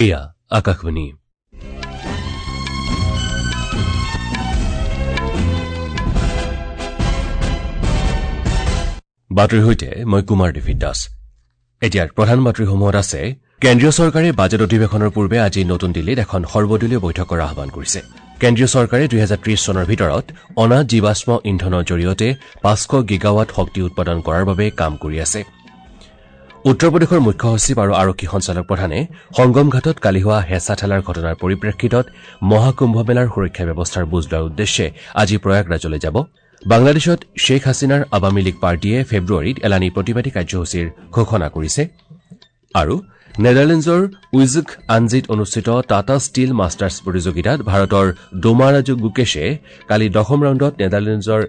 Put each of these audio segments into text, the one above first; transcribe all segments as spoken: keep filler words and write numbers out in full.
এয়া আকাশবাণী। বাতৰিৰ সৈতে মই কুমাৰ ডেভিড দাস। এতিয়াৰ প্ৰধান বাতৰিসমূহত আছে: কেন্দ্ৰীয় চৰকাৰে বাজেট অধিৱেশনৰ পূৰ্বে আজি নতুন দিল্লীত এখন সৰ্বদলীয় বৈঠকৰ আহ্বান কৰিছে। কেন্দ্ৰীয় চৰকাৰে দুহেজাৰ ত্ৰিশ চনৰ ভিতৰত অনা জীৱাশ্ম ইন্ধনৰ জৰিয়তে পাঁচশ গিগাৱাট শক্তি উৎপাদন কৰাৰ বাবে কাম কৰি আছে। উত্তৰ প্ৰদেশৰ মুখ্য সচিব আৰু আৰক্ষী সঞ্চালক প্ৰধানে সংগম ঘাটত কালি হোৱা হেঁচা ঠেলাৰ ঘটনাৰ পৰিপ্ৰেক্ষিতত মহাকুম্ভ মেলাৰ সুৰক্ষা ব্যৱস্থাৰ বুজ লোৱাৰ উদ্দেশ্যে আজি প্ৰয়াগৰাজলৈ যাব। বাংলাদেশত শ্বেখ হাছিনাৰ আৱামী লীগ পাৰ্টীয়ে ফেব্ৰুৱাৰীত এলানি প্ৰতিবাদী কাৰ্যসূচীৰ ঘোষণা কৰিছে। আৰু নেডাৰলেণ্ডছৰ উইজক আনজিত অনুষ্ঠিত টাটা ষ্টীল মাষ্টাৰ্ছ প্ৰতিযোগিতাত ভাৰতৰ ডোমাৰাজু গুকেশে কালি দশম ৰাউণ্ডত নেডাৰলেণ্ডছৰ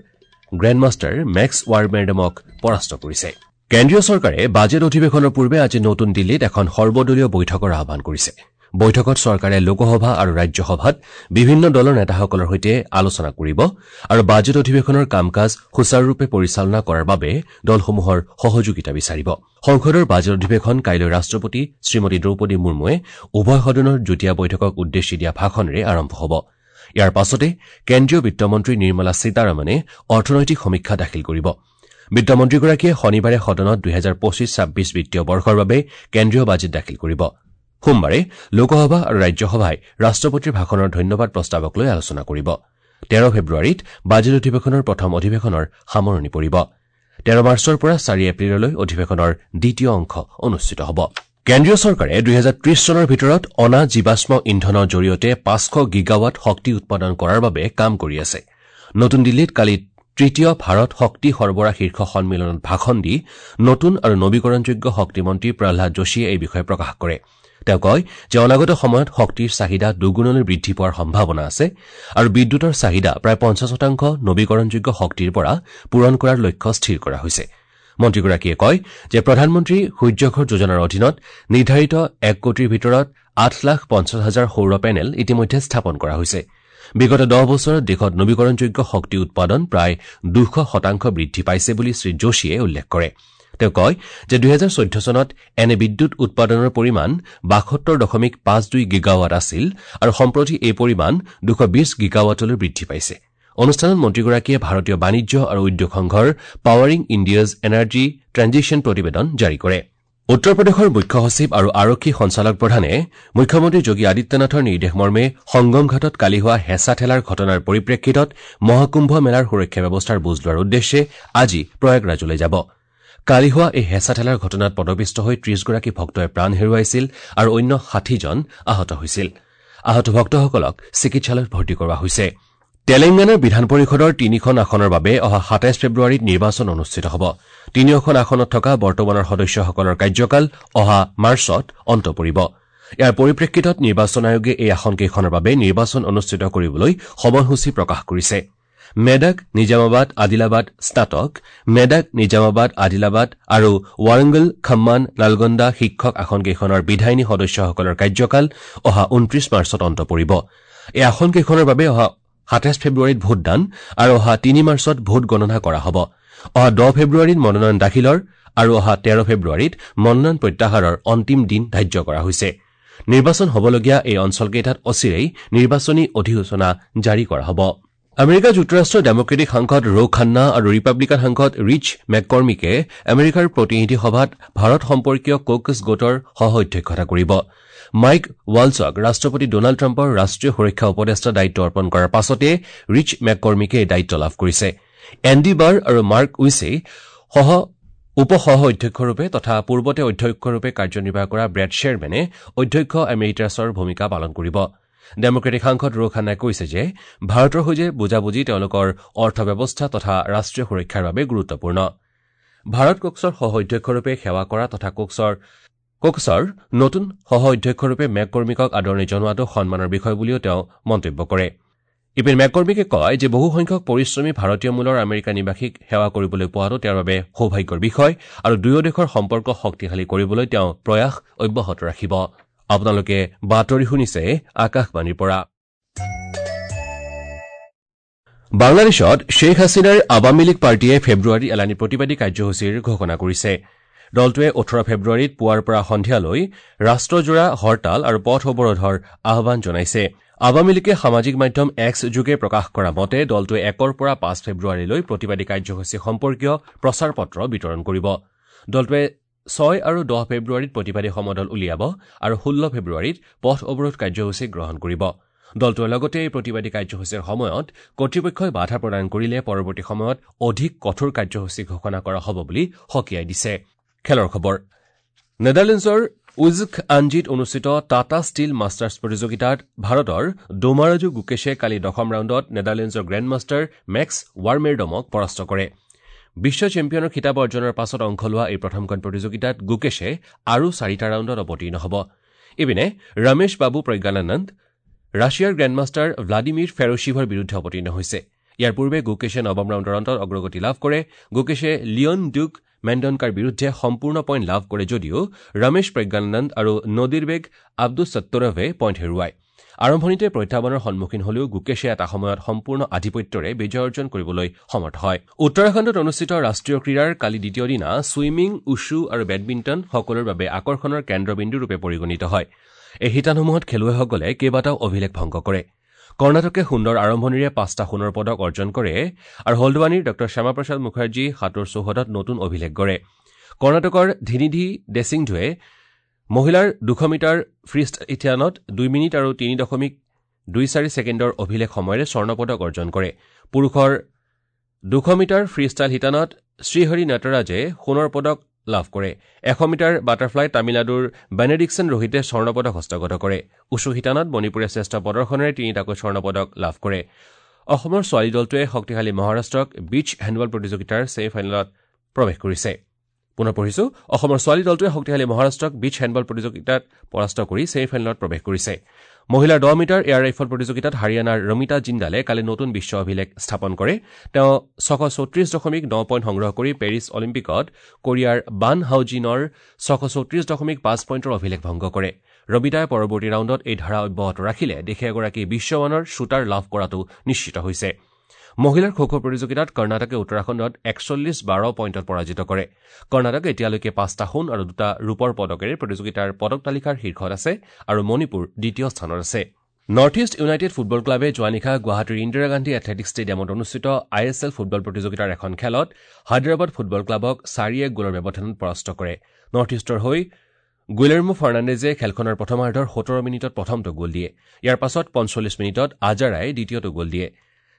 গ্ৰেণ্ডমাষ্টাৰ মেক্স ৱাৰমেৰডেমক পৰাস্ত কৰিছে। কেন্দ্ৰীয় চৰকাৰে বাজেট অধিৱেশনৰ পূৰ্বে আজি নতুন দিল্লীত এখন সৰ্বদলীয় বৈঠকৰ আহ্বান কৰিছে। বৈঠকত চৰকাৰে লোকসভা আৰু ৰাজ্যসভাত বিভিন্ন দলৰ নেতাসকলৰ সৈতে আলোচনা কৰিব আৰু বাজেট অধিৱেশনৰ কাম-কাজ সুচাৰুৰূপে পৰিচালনা কৰাৰ বাবে দলসমূহৰ সহযোগিতা বিচাৰিব। সংসদৰ বাজেট অধিৱেশন কাইলৈ ৰাষ্ট্ৰপতি শ্ৰীমতী দ্ৰৌপদী মুৰ্মুৱে উভয় সদনৰ যুটীয়া বৈঠকক উদ্দেশ্যি দিয়া ভাষণেৰে আৰম্ভ হ'ব। ইয়াৰ পাছতে কেন্দ্ৰীয় বিত্তমন্ত্ৰী নিৰ্মলা সীতাৰমণে অৰ্থনৈতিক সমীক্ষা দাখিল কৰিব। বিত্তমন্ত্ৰীগৰাকীয়ে শনিবাৰে সদনত দুহেজাৰ পঁচিছ ছাব্বিছ বিত্তীয় বৰ্ষৰ বাবে কেন্দ্ৰীয় বাজেট দাখিল কৰিব। সোমবাৰে লোকসভা আৰু ৰাজ্যসভাই ৰাষ্ট্ৰপতিৰ ভাষণৰ ধন্যবাদ প্ৰস্তাৱক লৈ আলোচনা কৰিব। তেৰ ফেব্ৰুৱাৰীত বাজেট অধিৱেশনৰ প্ৰথম অধিৱেশনৰ সামৰণি পৰিব। তেৰ মাৰ্চৰ পৰা চাৰি এপ্ৰিললৈ অধিৱেশনৰ দ্বিতীয় অংশ অনুষ্ঠিত হ'ব। কেন্দ্ৰীয় চৰকাৰে দুহেজাৰ ত্ৰিশ চনৰ ভিতৰত অনা জীৱাশ্ম ইন্ধনৰ জৰিয়তে পাঁচশ গিগাৱাট শক্তি উৎপাদন কৰাৰ বাবে কাম কৰি আছে। নতুন দিল্লীত কালি তৃতীয় ভাৰত শক্তি সৰবৰাহ শীৰ্ষ সন্মিলনত ভাষণ দি নতুন আৰু নবীকৰণযোগ্য শক্তিমন্ত্ৰী প্ৰহ্লাদ যোশীয়ে এই বিষয়ে প্ৰকাশ কৰে। তেওঁ কয় যে অনাগত সময়ত শক্তিৰ চাহিদা দুগুণলৈ বৃদ্ধি পোৱাৰ সম্ভাৱনা আছে আৰু বিদ্যুতৰ চাহিদা প্ৰায় পঞ্চাছ শতাংশ নবীকৰণযোগ্য শক্তিৰ পৰা পূৰণ কৰাৰ লক্ষ্য স্থিৰ কৰা হৈছে। মন্ত্ৰীগৰাকীয়ে কয় যে প্ৰধানমন্ত্ৰী সূৰ্যঘৰ যোজনাৰ অধীনত নিৰ্ধাৰিত এক কোটিৰ ভিতৰত আঠ লাখ পঞ্চাছ হাজাৰ সৌৰ পেনেল ইতিমধ্যে স্থাপন কৰা হৈছে। বিগত দহ বছৰত দেশত নবীকৰণযোগ্য শক্তি উৎপাদন প্ৰায় দুশ শতাংশ বৃদ্ধি পাইছে বুলি শ্ৰীযোশীয়ে উল্লেখ কৰে। তেওঁ কয় যে দুহেজাৰ চৈধ্য চনত এনে বিদ্যুৎ উৎপাদনৰ পৰিমাণ বাসত্তৰ দশমিক পাঁচ দুই গিগাৱাট আছিল আৰু সম্প্ৰতি এই পৰিমাণ দুশ বিশ গিগাৱাটলৈ বৃদ্ধি পাইছে। অনুষ্ঠানত মন্ত্ৰীগৰাকীয়ে ভাৰতীয় বাণিজ্য আৰু উদ্যোগ সংঘৰ পাৱাৰিং ইণ্ডিয়াজ এনাৰ্জি ট্ৰেঞ্জিশ্যন প্ৰতিবেদন জাৰি কৰে। উত্তৰ প্ৰদেশৰ মুখ্য সচিব আৰু আৰক্ষী সঞ্চালক প্ৰধানে মুখ্যমন্ত্ৰী যোগী আদিত্যনাথৰ নিৰ্দেশ মৰ্মে সংগম ঘাটত কালি হোৱা হেঁচা ঠেলাৰ ঘটনাৰ পৰিপ্ৰেক্ষিতত মহাকুম্ভ মেলাৰ সুৰক্ষা ব্যৱস্থাৰ বুজ লোৱাৰ উদ্দেশ্যে আজি প্ৰয়াগৰাজলৈ যাব। কালি হোৱা এই হেঁচা ঠেলাৰ ঘটনাত পদপিষ্ট হৈ ত্ৰিশগৰাকী ভক্তই প্ৰাণ হেৰুৱাইছিল আৰু অন্য ষাঠিজন আহত হৈছিল। আহত ভক্তসকলক চিকিৎসালয়ত ভৰ্তি কৰোৱা হৈছে। তেলেংগানাৰ বিধান পৰিষদৰ তিনিখন আসনৰ বাবে অহা সাতাইছ ফেব্ৰুৱাৰীত নিৰ্বাচন অনুষ্ঠিত হ'ব। তিনিওখন আসনত থকা বৰ্তমানৰ সদস্যসকলৰ কাৰ্যকাল অহা মাৰ্চত অন্ত পৰিব। ইয়াৰ পৰিপ্ৰেক্ষিতত নিৰ্বাচন আয়োগে এই আসনকেইখনৰ বাবে নিৰ্বাচন অনুষ্ঠিত কৰিবলৈ সময়সূচী প্ৰকাশ কৰিছে। মেডাক, নিজামাবাদ, আদিলাবাদ স্নাতক, মেডাক, নিজামাবাদ, আদিলাবাদ আৰু ৱাৰাংগল, খম্মান, নালগন্দা শিক্ষক আসনকেইখনৰ বিধায়িনী সদস্যসকলৰ কাৰ্যকাল অহা ঊনত্ৰিশ মাৰ্চত অন্ত পৰিব। এই আসনকেইখনৰ বাবে অহা সাতাইছ ফেব্ৰুৱাৰীত ভোটদান আৰু অহা তিনি মাৰ্চত ভোট গণনা কৰা হ'ব। অহা দহ ফেব্ৰুৱাৰীত মনোনয়ন দাখিলৰ আৰু অহা তেৰ ফেব্ৰুৱাৰীত মনোনয়ন প্ৰত্যাহাৰৰ অন্তিম দিন ধাৰ্য কৰা হৈছে। নিৰ্বাচন হ'বলগীয়া এই অঞ্চলকেইটাত অচিৰেই নিৰ্বাচনী অধিসূচনা জাৰি কৰা হ'ব। আমেৰিকা যুক্তৰাষ্ট্ৰৰ ডেমক্ৰেটিক সাংসদ ৰো খান্না আৰু ৰিপাব্লিকান সাংসদ ৰিচ মেককৰ্মিকে আমেৰিকাৰ প্ৰতিনিধি সভাত ভাৰত সম্পৰ্কীয় কোকছ গোটৰ সহ অধ্যক্ষতা কৰিব। মাইক ৱালছক ৰাষ্ট্ৰপতি ডনাল্ড ট্ৰাম্পৰ ৰাষ্ট্ৰীয় সুৰক্ষা উপদেষ্টাৰ দায়িত্ব অৰ্পণ কৰাৰ পাছতে ৰিচ মেককৰ্মিকে এই দায়িত্ব লাভ কৰিছে। এণ্ডি বাৰ আৰু মাৰ্ক উইছে সহ উপ সহ অধ্যক্ষৰূপে তথা পূৰ্বতে অধ্যক্ষৰূপে কাৰ্যনিৰ্বাহ কৰা ব্ৰেড শ্বেৰমেনে অধ্যক্ষ এমেৰিটাছৰ ভূমিকা পালন কৰিব। ডেমক্ৰেটিক সাংসদ ৰো খান্নাই কৈছে যে ভাৰতৰ সৈতে বুজাবুজি তেওঁলোকৰ অৰ্থব্যৱস্থা তথা ৰাষ্ট্ৰীয় সুৰক্ষাৰ বাবে গুৰুত্বপূৰ্ণ। ভাৰত কোক্সৰ সহ অধ্যক্ষৰূপে সেৱা কৰা তথা কোক্সৰ কোক্সৰ নতুন সহ অধ্যক্ষৰূপে মেককৰ্মিকক আদৰণি জনোৱাটো সন্মানৰ বিষয় বুলিও তেওঁ মন্তব্য কৰে। ইপিনে মেককৰ্মিকে কয় যে বহুসংখ্যক পৰিশ্ৰমী ভাৰতীয় মূলৰ আমেৰিকা নিবাসীক সেৱা কৰিবলৈ পোৱাটো তেওঁৰ বাবে সৌভাগ্যৰ বিষয় আৰু দুয়ো দেশৰ সম্পৰ্ক শক্তিশালী কৰিবলৈ তেওঁ প্ৰয়াস অব্যাহত ৰাখিব। আপোনালোকে বাতৰি শুনিছে আকাশবাণীৰ পৰা। বাংলাদেশত শ্বেখ হাছিনাৰ আৱামী লীগ পাৰ্টীয়ে ফেব্ৰুৱাৰী এলানি প্ৰতিবাদী কাৰ্যসূচীৰ ঘোষণা কৰিছে। দলটোৱে ওঠৰ ফেব্ৰুৱাৰীত পুৱাৰ পৰা সন্ধিয়ালৈ ৰাষ্ট্ৰজোৰা হৰতাল আৰু পথ অৱৰোধৰ আহ্বান জনাইছে। আৱামী লীগে সামাজিক মাধ্যম এক্স যোগে প্ৰকাশ কৰা মতে দলটোৱে একৰ পৰা পাঁচ ফেব্ৰুৱাৰীলৈ প্ৰতিবাদী কাৰ্যসূচী সম্পৰ্কীয় প্ৰচাৰ পত্ৰ বিতৰণ কৰিব। দলটোৱে ছয় আৰু দহ ফেব্ৰুৱাৰীত প্ৰতিবাদী সমদল উলিয়াব আৰু ষোল্ল ফেব্ৰুৱাৰীত পথ অৱৰোধ কাৰ্যসূচী গ্ৰহণ কৰিব। দলটোৱে লগতে এই প্ৰতিবাদী কাৰ্যসূচীৰ সময়ত কৰ্তৃপক্ষই বাধা প্ৰদান কৰিলে পৰৱৰ্তী সময়ত অধিক কঠোৰ কাৰ্যসূচী ঘোষণা কৰা হ'ব বুলি সকীয়াই দিছে। খেলৰ খবৰ। নেডাৰলেণ্ডছৰ উজক আঞ্জিত অনুষ্ঠিত টাটা ষ্টীল মাষ্টাৰ্ছ প্ৰতিযোগিতাত ভাৰতৰ ডোমাৰাজু গুকেশে কালি দশম ৰাউণ্ডত নেডাৰলেণ্ডছৰ গ্ৰেণ্ড মাষ্টাৰ মেক্স ৱাৰমেৰডমক পৰাস্ত কৰে। বিশ্ব চেম্পিয়নৰ খিতাপ অৰ্জনৰ পাছত অংশ লোৱা এই প্ৰথমখন প্ৰতিযোগিতাত গুকেশে আৰু চাৰিটা ৰাউণ্ডত অৱতীৰ্ণ হ'ব। ইপিনে ৰমেশ বাবু প্ৰজ্ঞানানন্দ ৰাছিয়াৰ গ্ৰেণ্ডমাষ্টাৰ ভ্লাডিমিৰ ফেৰ'ছিভৰ বিৰুদ্ধে অৱতীৰ্ণ হৈছে। ইয়াৰ পূৰ্বে গুকেশে নৱম ৰাউণ্ডৰ অন্তত অগ্ৰগতি লাভ কৰে। গুকেশে লিয়ন ডুক মেণ্ডনকাৰ বিৰুদ্ধে সম্পূৰ্ণ পইণ্ট লাভ কৰে যদিও ৰমেশ প্ৰজ্ঞানন্দ আৰু নদীৰবেগ আব্দুছ সত্তৰভে পইণ্ট হেৰুৱায়। আৰম্ভণিতে প্ৰত্যাহ্বানৰ সন্মুখীন হলেও গুকেশে এটা সময়ত সম্পূৰ্ণ আধিপত্যৰে বিজয় অৰ্জন কৰিবলৈ সমৰ্থ হয়। উত্তৰাখণ্ডত অনুষ্ঠিত ৰাষ্ট্ৰীয় ক্ৰীড়াৰ কালি দ্বিতীয় দিনা ছুইমিং, উছু আৰু বেডমিণ্টন সকলোৰে বাবে আকৰ্ষণৰ কেন্দ্ৰবিন্দুৰূপে পৰিগণিত হয়। এই শিতানসমূহত খেলুৱৈসকলে কেইবাটাও অভিলেখ ভংগ কৰে। কৰ্ণাটকে সুন্দৰ আৰম্ভণিৰে পাঁচটা সোণৰ পদক অৰ্জন কৰে আৰু হলদৱানীৰ ডঃ শ্যামাপ্ৰসাদ মুখাৰ্জী সাঁতোৰ চৌহদত নতুন অভিলেখ গঢ়ে। কৰ্ণাটকৰ ধিনিধি দেছিংধুৱে মহিলাৰ দুশ মিটাৰ ফ্ৰী শিতানত দুই মিনিট আৰু তিনি দশমিক দুই চাৰি ছেকেণ্ডৰ অভিলেখ সময়ৰে স্বৰ্ণ পদক অৰ্জন কৰে। পুৰুষৰ দুশ মিটাৰ ফ্ৰী ষ্টাইল শিতানত শ্ৰীহৰি নটৰাজে সোণৰ পদক লাভ কৰে। এশ মিটাৰ বাটাৰফ্লাই তামিলনাডুৰ বেনেডিকছন ৰোহিতে স্বৰ্ণ পদক হস্তগত কৰে। উছু শিতানত মণিপুৰে শ্ৰেষ্ঠ প্ৰদৰ্শনেৰে তিনিটাকৈ স্বৰ্ণ পদক লাভ কৰে। অসমৰ ছোৱালী দলটোৱে শক্তিশালী মহাৰাষ্ট্ৰক বীচ হেণ্ডবল প্ৰতিযোগিতাৰ ছেমি ফাইনেলত প্ৰৱেশ কৰিছে। পুনৰ পঢ়িছো, অসমৰ ছোৱালী দলটোৱে শক্তিশালী মহাৰাষ্ট্ৰক বীচ হেণ্ডবল প্ৰতিযোগিতাত পৰাস্ত কৰি ছেমি ফাইনেলত প্ৰৱেশ কৰিছে। মহিলাৰ দহ মিটাৰ এয়াৰ ৰাইফল প্ৰতিযোগিতাত হাৰিয়ানাৰ ৰমিতা জিন্দালে কালি নতুন বিশ্ব অভিলেখ স্থাপন কৰে। তেওঁ ছশ চৌত্ৰিশ দশমিক ন পইণ্ট সংগ্ৰহ কৰি পেৰিছ অলিম্পিকত কোৰিয়াৰ বান হাউজিনৰ ছশ চৌত্ৰিশ দশমিক পাঁচ পইণ্টৰ অভিলেখ ভংগ কৰে। ৰমিতাই পৰৱৰ্তী ৰাউণ্ডত এই ধাৰা অব্যাহত ৰাখিলে দেশে এগৰাকী বিশ্বমানৰ শ্বুটাৰ লাভ কৰাটো নিশ্চিত হৈছে। মহিলাৰ খো খো প্ৰতিযোগিতাত কৰ্ণাটকে উত্তৰাখণ্ডত একচল্লিছ বাৰ পইণ্টত পৰাজিত কৰে। কৰ্ণাটকে এতিয়ালৈকে পাঁচটা সোণ আৰু দুটা ৰূপৰ পদকেৰে প্ৰতিযোগিতাৰ পদক তালিকাৰ শীৰ্ষত আছে আৰু মণিপুৰ দ্বিতীয় স্থানত আছে। নৰ্থ ইষ্ট ইউনাইটেড ফুটবল ক্লাবে যোৱা নিশা গুৱাহাটীৰ ইন্দিৰা গান্ধী এথলেটিক ষ্টেডিয়ামত অনুষ্ঠিত I S L football প্ৰতিযোগিতাৰ এখন খেলত হায়দৰাবাদ ফুটবল ক্লাবক চাৰি এক গ'লৰ ব্যৱধানত পৰাস্ত কৰে। নৰ্থ ইষ্টৰ হৈ গুইলেৰ্মো ফাৰ্ণাণ্ডেজে খেলখনৰ প্ৰথমাৰ্ধৰ সোতৰ মিনিটত প্ৰথমটো গ'ল দিয়ে। ইয়াৰ পাছত পঞ্চল্লিছ মিনিটত আজাৰাই দ্বিতীয়টো গ'ল দিয়ে।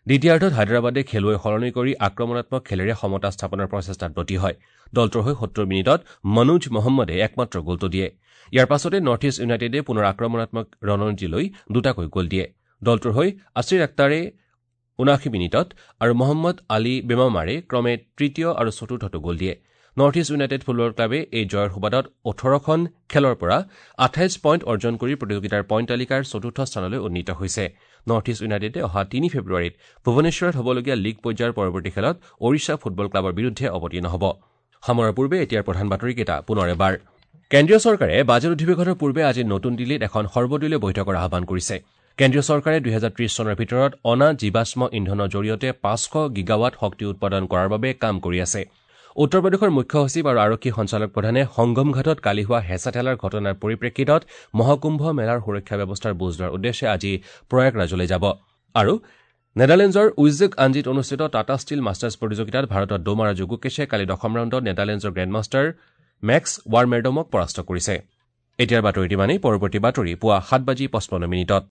দ্বিতীয়াৰ্ধত হায়দৰাবাদে খেলুৱৈ সলনি কৰি আক্ৰমণাত্মক খেলেৰে সমতা স্থাপনৰ প্ৰচেষ্টাত ব্ৰতী হয়। দলটোৰ হৈ সত্তৰ মিনিটত মনোজ মহম্মদে একমাত্ৰ গ'লটো দিয়ে। ইয়াৰ পাছতে নৰ্থ ইষ্ট ইউনাইটেডে পুনৰ আক্ৰমণাত্মক ৰণনীতি লৈ দুটাকৈ গ'ল দিয়ে। দলটোৰ হৈ আছিৰ আক্তাৰে ঊনাশী মিনিটত আৰু মহম্মদ আলী বেমামাৰে ক্ৰমে তৃতীয় আৰু চতুৰ্থটো গ'ল দিয়ে। নৰ্থ ইষ্ট ইউনাইটেড ফুটবল ক্লাবে এই জয়ৰ সুবাদত ওঠৰখন খেলৰ পৰা আঠাইছ পইণ্ট অৰ্জন কৰি প্ৰতিযোগিতাৰ পইণ্ট তালিকাৰ চতুৰ্থ স্থানলৈ উন্নীত হৈছে। নৰ্থ ইষ্ট ইউনাইটেডে অহা তিনি ফেব্ৰুৱাৰীত ভুৱনেশ্বৰত হ'বলগীয়া লীগ পৰ্যায়ৰ পৰৱৰ্তী খেলত ওড়িশা ফুটবল ক্লাবৰ বিৰুদ্ধে অৱতীৰ্ণ হ'ব। সামৰাৰ পূৰ্বে এতিয়াৰ প্ৰধান বাতৰিকেইটা পুনৰ এবাৰ। কেন্দ্ৰীয় চৰকাৰে বাজেট অধিৱেশনৰ পূৰ্বে আজি নতুন দিল্লীত এখন সৰ্বদলীয় বৈঠকৰ আহ্বান কৰিছে। কেন্দ্ৰীয় চৰকাৰে দুহেজাৰ ত্ৰিশ চনৰ ভিতৰত অনা জীৱাশ্ম ইন্ধনৰ জৰিয়তে পাঁচশ গিগাৱাট শক্তি উৎপাদন কৰাৰ বাবে কাম কৰি আছে। উত্তৰ প্ৰদেশৰ মুখ্য সচিব আৰু আৰক্ষী সঞ্চালক প্ৰধানে সংগম ঘাটত কালি হোৱা হেঁচা ঠেলাৰ ঘটনাৰ পৰিপ্ৰেক্ষিতত মহাকুম্ভ মেলাৰ সুৰক্ষা ব্যৱস্থাৰ বুজ লোৱাৰ উদ্দেশ্যে আজি প্ৰয়াগৰাজলৈ যাব। আৰু নেডাৰলেণ্ডছৰ উইজক আঞ্জিত অনুষ্ঠিত টাটা ষ্টীল মাষ্টাৰ্ছ প্ৰতিযোগিতাত ভাৰতৰ ডোমাৰাজু গুকেশে কালি দশম ৰাউণ্ডত নেডাৰলেণ্ডছৰ গ্ৰেণ্ডমাষ্টাৰ মেক্স ৱাৰমেৰডমক পৰাস্ত কৰিছে। এতিয়াৰ বাতৰিটো ইমানেই। পৰৱৰ্তী বাতৰি পুৱা সাত বাজি পঁচপন্ন মিনিটত।